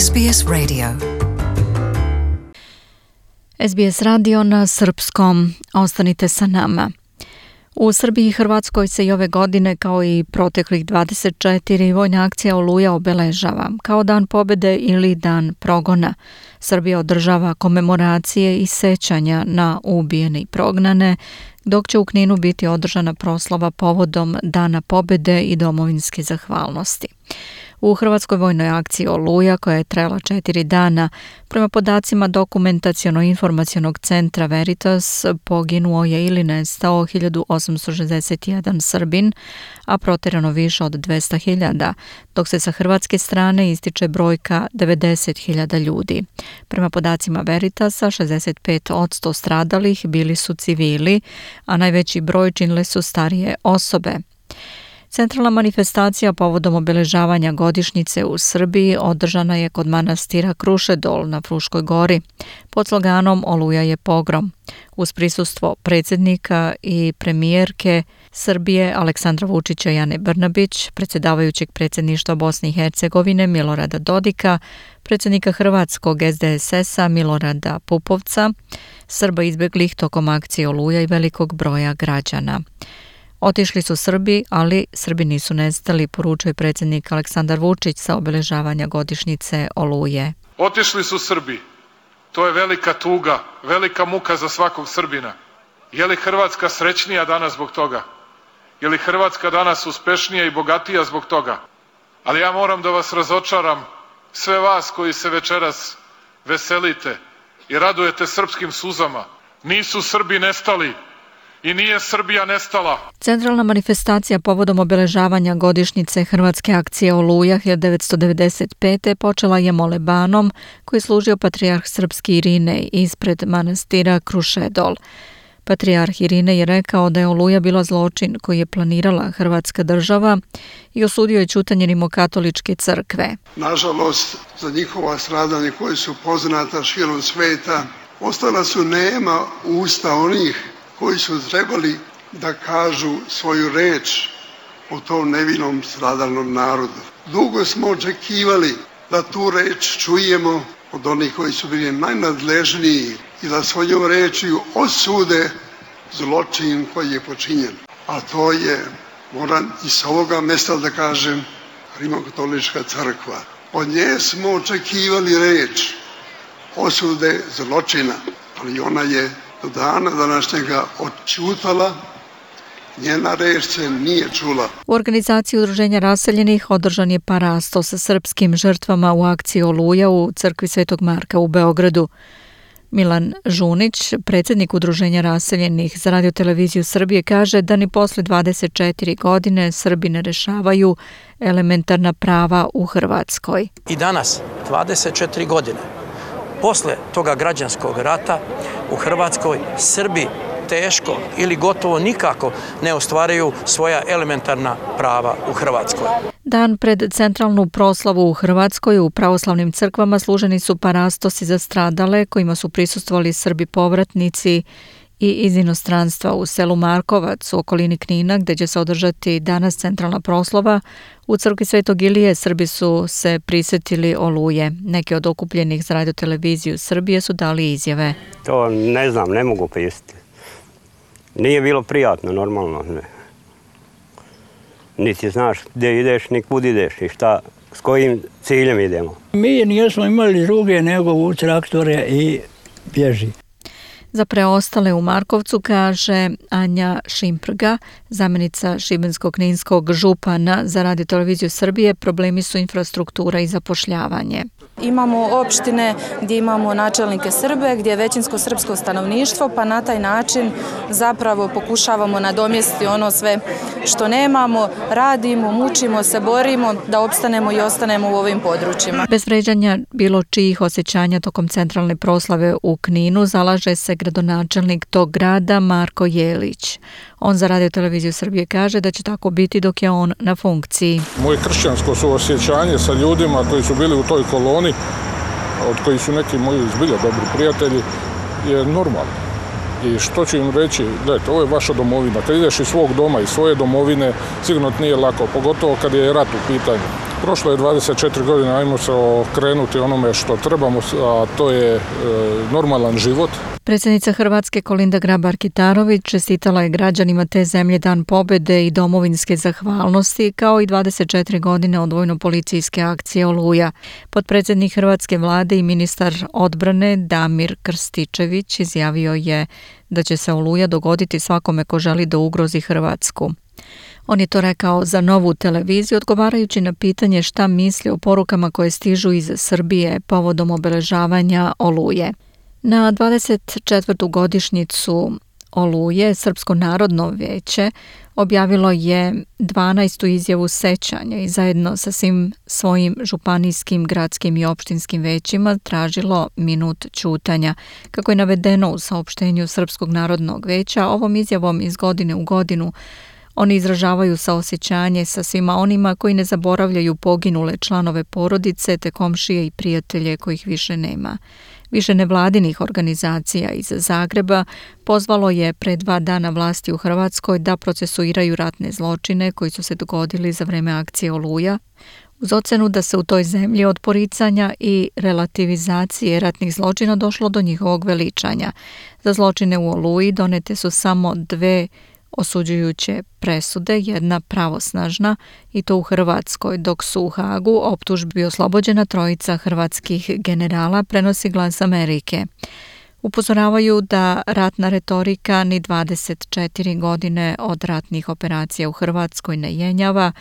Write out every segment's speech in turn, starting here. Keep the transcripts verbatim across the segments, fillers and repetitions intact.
S B S Radio. S B S radio na srpskom. Ostanite sa nama. U Srbiji i Hrvatskoj se i ove godine, kao i proteklih dvadeset četiri, vojna akcija Oluja obeležava kao dan pobjede ili dan progona. Srbija održava komemoracije i sećanja na ubijene i prognane, dok će u Kninu biti održana proslava povodom Dana pobjede i domovinske zahvalnosti. U Hrvatskoj vojnoj akciji Oluja, koja je trajala četiri dana, prema podacima Dokumentaciono-informacionog centra Veritas, poginuo je ili nestao hiljadu osamsto šezdeset jedan Srbin, a proterano više od dvesta hiljada, dok se sa hrvatske strane ističe brojka devedeset hiljada ljudi. Prema podacima Veritasa, šezdeset pet posto stradalih bili su civili, a najveći broj činile su starije osobe. Centralna manifestacija povodom obeležavanja godišnjice u Srbiji održana je kod manastira Krušedol na Fruškoj gori pod sloganom Oluja je pogrom, uz prisustvo predsjednika i premijerke Srbije Aleksandra Vučića i Ane Brnabić, predsjedavajućeg predsjedništva Bosne i Hercegovine Milorada Dodika, predsjednika Hrvatskog S D S S-a Milorada Pupovca, Srba izbjeglih tokom akcije Oluja i velikog broja građana. Otišli su Srbi, ali Srbi nisu nestali, poručuje predsjednik Aleksandar Vučić sa obeležavanja godišnjice Oluje. Otišli su Srbi. To je velika tuga, velika muka za svakog Srbina. Je li Hrvatska srećnija danas zbog toga? Je li Hrvatska danas uspešnija i bogatija zbog toga? Ali ja moram da vas razočaram, sve vas koji se večeras veselite i radujete srpskim suzama. Nisu Srbi nestali. I nije Srbija nestala. Centralna manifestacija povodom obeležavanja godišnjice Hrvatske akcije Oluja hiljadu devetsto devedeset pete. počela je molebanom koji je služio patrijarh srpski Irinej ispred manastira Krušedol. Patrijarh Irinej je rekao da je Oluja bila zločin koji je planirala Hrvatska država i osudio je ćutanje rimokatoličke crkve. Nažalost, za njihova stradanja koji su poznata širom sveta, ostala su nema usta onih koji su trebali da kažu svoju reč o tom nevinom stradalnom narodu. Dugo smo očekivali da tu reč čujemo od onih koji su bili najnadležniji i da svojom rečju osude zločin koji je počinjen. A to je, moram i s ovoga mjesta da kažem, Rimokatolička crkva. Od nje smo očekivali reč osude zločina, ali ona je do dana današnjega odćutala, njena reč se nije čula. U organizaciji Udruženja raseljenih održan je parasto sa srpskim žrtvama u akciji Oluja u crkvi Svetog Marka u Beogradu. Milan Žunić, predsjednik Udruženja raseljenih za Radio-televiziju Srbije, kaže da ni posle dvadeset četiri godine Srbi ne rešavaju elementarna prava u Hrvatskoj. I danas, dvadeset četiri godine, posle toga građanskog rata u Hrvatskoj Srbi teško ili gotovo nikako ne ostvaraju svoja elementarna prava u Hrvatskoj. Dan pred centralnu proslavu u Hrvatskoj u pravoslavnim crkvama služeni su parastosi za stradale kojima su prisustvovali Srbi povratnici i iz inostranstva. U selu Markovac u okolini Knina, gdje će se održati danas centralna proslava, u crkvi Svetog Ilije Srbi su se prisjetili Oluje. Neki od okupljenih za Radio-televiziju Srbije su dali izjave. To ne znam, ne mogu prisjetiti. Nije bilo prijatno, normalno. Ne. Niti znaš gdje ideš, ni kud ideš i šta, s kojim ciljem idemo. Mi nismo imali druge nego u traktore i bježi. Za preostale u Markovcu, kaže Anja Šimprga, zamjenica šibensko-kninskog župana za Radio-televiziju Srbije, problemi su infrastruktura i zapošljavanje. Imamo opštine gdje imamo načelnike Srbe, gdje je većinsko srpsko stanovništvo, pa na taj način zapravo pokušavamo nadomjestiti ono sve što nemamo, radimo, mučimo se, borimo da opstanemo i ostanemo u ovim područjima. Bez vređanja bilo čijih osjećanja tokom centralne proslave u Kninu zalaže se gradonačelnik tog grada Marko Jelić. On za Radio-televiziju Srbije kaže da će tako biti dok je on na funkciji. Moje kršćansko suosjećanje sa ljudima koji su bili u toj koloni, od kojih su neki moji zbilja dobri prijatelji, je normalno. I što ću im reći, gledajte, ovo je vaša domovina. Kad ideš iz svog doma, iz svoje domovine, sigurno nije lako, pogotovo kad je rat u pitanju. Prošlo je dvadeset četiri godine, ajmo se okrenuti onome što trebamo, a to je e, normalan život. Predsjednica Hrvatske Kolinda Grabar-Kitarović čestitala je građanima te zemlje Dan pobjede i domovinske zahvalnosti, kao i dvadeset četiri godine od vojno-policijske akcije Oluja. Potpredsjednik Hrvatske vlade i ministar odbrane Damir Krstičević izjavio je da će se Oluja dogoditi svakome ko želi da ugrozi Hrvatsku. On je to rekao za Novu televiziju, odgovarajući na pitanje šta misli o porukama koje stižu iz Srbije povodom obeležavanja Oluje. Na dvadeset četvrtu godišnjicu Oluje Srpsko narodno vijeće objavilo je dvanaestu izjavu sećanja i zajedno sa svim svojim županijskim, gradskim i opštinskim većima tražilo minut ćutanja. Kako je navedeno u saopštenju Srpskog narodnog vijeća, ovom izjavom iz godine u godinu oni izražavaju saosjećanje sa svima onima koji ne zaboravljaju poginule članove porodice te komšije i prijatelje kojih više nema. Više nevladinih organizacija iz Zagreba pozvalo je pre dva dana vlasti u Hrvatskoj da procesuiraju ratne zločine koji su se dogodili za vreme akcije Oluja, uz ocenu da se u toj zemlji od poricanja i relativizacije ratnih zločina došlo do njihovog veličanja. Za zločine u Oluji donete su samo dve osuđujuće presude, jedna pravosnažna, i to u Hrvatskoj, dok su u Hagu optužbi oslobođena trojica hrvatskih generala, prenosi Glas Amerike. Upozoravaju da ratna retorika ni dvadeset četiri godine od ratnih operacija u Hrvatskoj ne jenjava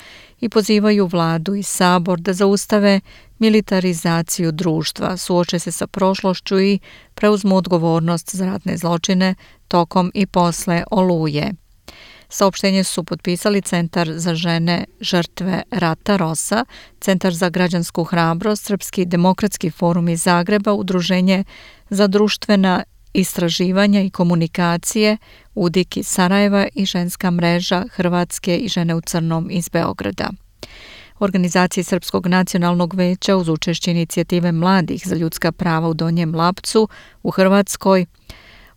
i pozivaju vladu i sabor da zaustave militarizaciju društva, suoče se sa prošlošću i preuzmu odgovornost za ratne zločine tokom i posle Oluje. Saopštenje su potpisali Centar za žene žrtve rata Rosa, Centar za građansku hrabrost, Srpski demokratski forum iz Zagreba, Udruženje za društvena istraživanja i komunikacije UDIK iz Sarajeva i ženska mreža Hrvatske i žene u crnom iz Beograda. U organizaciji Srpskog nacionalnog veća uz učešće inicijative mladih za ljudska prava u Donjem Lapcu u Hrvatskoj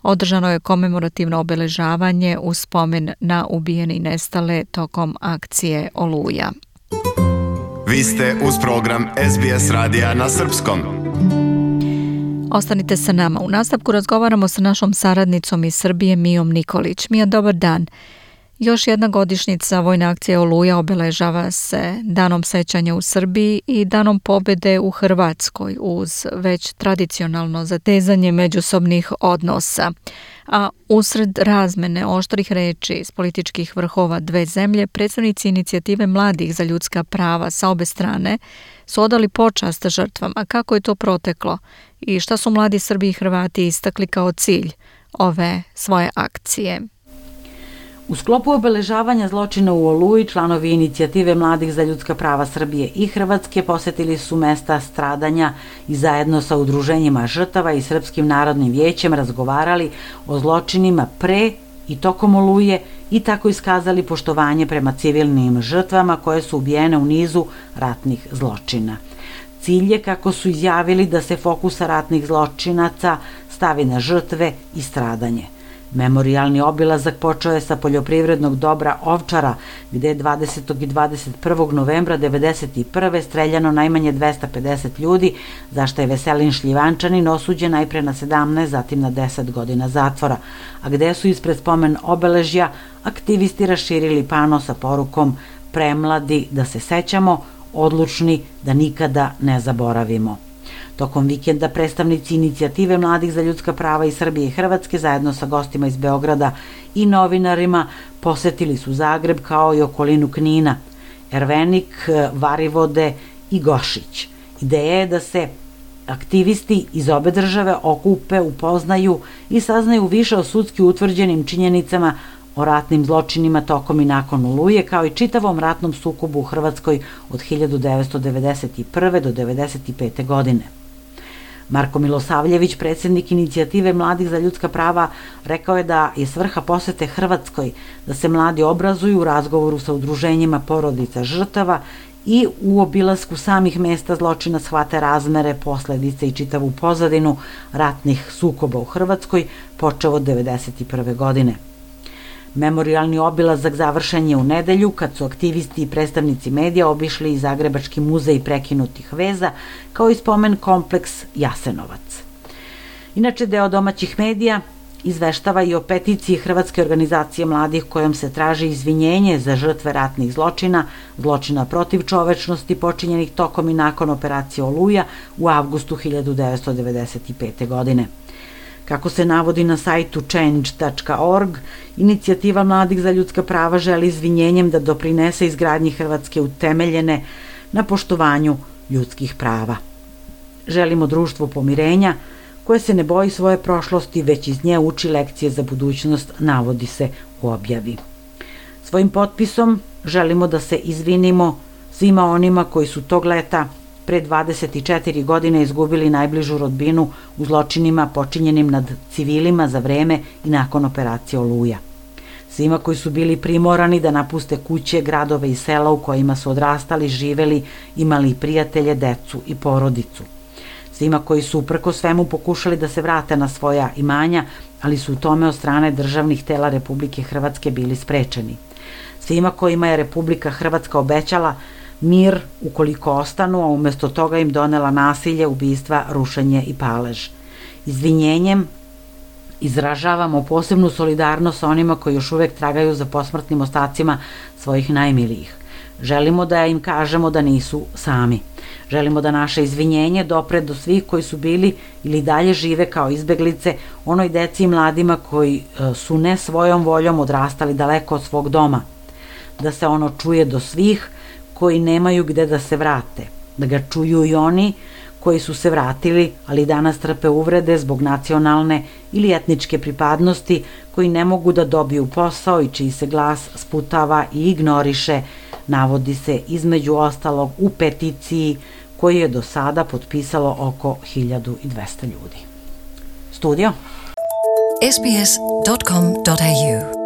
održano je komemorativno obeležavanje u spomen na ubijene i nestale tokom akcije Oluja. Vi ste uz program S B S radija na srpskom. Ostanite sa nama. U nastavku razgovaramo sa našom saradnicom iz Srbije Mijom Nikolić. Mija, dobar dan. Još jedna godišnjica vojne akcije Oluja obeležava se Danom sećanja u Srbiji i Danom pobjede u Hrvatskoj uz već tradicionalno zatezanje međusobnih odnosa. A usred razmene oštrih reči iz političkih vrhova dve zemlje, predstavnici inicijative mladih za ljudska prava sa obe strane su odali počast žrtvama. Kako je to proteklo i šta su mladi Srbi i Hrvati istakli kao cilj ove svoje akcije? U sklopu obeležavanja zločina u Oluji, članovi inicijative mladih za ljudska prava Srbije i Hrvatske posetili su mesta stradanja i zajedno sa udruženjima žrtava i Srpskim narodnim vijećem razgovarali o zločinima pre i tokom Oluje i tako iskazali poštovanje prema civilnim žrtvama koje su ubijene u nizu ratnih zločina. Cilj je, kako su izjavili, da se fokusa ratnih zločinaca stavi na žrtve i stradanje. Memorijalni obilazak počeo je sa poljoprivrednog dobra Ovčara, gde je dvadesetog i dvadeset prvog novembra devedeset prve streljano najmanje dvesta pedeset ljudi, za što je Veselin Šljivančanin osuđen najpre na sedamnaest, zatim na deset godina zatvora, a gde su ispred spomen obeležja aktivisti raširili pano sa porukom "Premladi da se sećamo, odlučni da nikada ne zaboravimo". Tokom vikenda predstavnici inicijative mladih za ljudska prava iz Srbije i Hrvatske zajedno sa gostima iz Beograda i novinarima posetili su Zagreb kao i okolinu Knina, Ervenik, Varivode i Gošić. Ideja je da se aktivisti iz obe države okupe, upoznaju i saznaju više o sudski utvrđenim činjenicama o ratnim zločinima tokom i nakon Oluje, kao i čitavom ratnom sukobu u Hrvatskoj od hiljadu devetsto devedeset prve do devedeset pete godine. Marko Milosavljević, predsjednik inicijative mladih za ljudska prava, rekao je da je svrha posete Hrvatskoj da se mladi obrazuju u razgovoru sa udruženjima porodica žrtava i u obilasku samih mesta zločina shvate razmere, posledice i čitavu pozadinu ratnih sukoba u Hrvatskoj počev od devedeset prve godine. Memorijalni obilazak završen je u nedelju kad su aktivisti i predstavnici medija obišli i Zagrebački muzej prekinutih veza kao i spomen kompleks Jasenovac. Inače, deo domaćih medija izveštava i o peticiji Hrvatske organizacije mladih kojom se traži izvinjenje za žrtve ratnih zločina, zločina protiv čovečnosti počinjenih tokom i nakon operacije Oluja u avgustu hiljadu devetsto devedeset pete. godine. Kako se navodi na sajtu change tačka org, inicijativa mladih za ljudska prava želi izvinjenjem da doprinese izgradnji Hrvatske utemeljene na poštovanju ljudskih prava. Želimo društvo pomirenja koje se ne boji svoje prošlosti, već iz nje uči lekcije za budućnost, navodi se u objavi. Svojim potpisom želimo da se izvinimo svima onima koji su tog leta pre dvadeset četiri godine izgubili najbližu rodbinu u zločinima počinjenim nad civilima za vreme i nakon operacije Oluja. Svima koji su bili primorani da napuste kuće, gradove i sela u kojima su odrastali, živeli, imali prijatelje, decu i porodicu. Svima koji su uprko svemu pokušali da se vrate na svoja imanja, ali su u tome od strane državnih tela Republike Hrvatske bili sprečeni. Svima kojima je Republika Hrvatska obećala mir ukoliko ostanu, a umesto toga im donela nasilje, ubistva, rušenje i palež. Izvinjenjem izražavamo posebnu solidarnost sa onima koji još uvek tragaju za posmrtnim ostacima svojih najmilijih. Želimo da im kažemo da nisu sami. Želimo da naše izvinjenje dopre do svih koji su bili ili dalje žive kao izbeglice, onoj deci i mladima koji su ne svojom voljom odrastali daleko od svog doma. Da se ono čuje do svih koji nemaju gde da se vrate. Da ga čuju i oni koji su se vratili, ali danas trpe uvrede zbog nacionalne ili etničke pripadnosti, koji ne mogu da dobiju posao i čiji se glas sputava i ignoriše, navodi se između ostalog u peticiji koju je do sada potpisalo oko hiljadu dvesta ljudi. Studio S B S dot com dot A U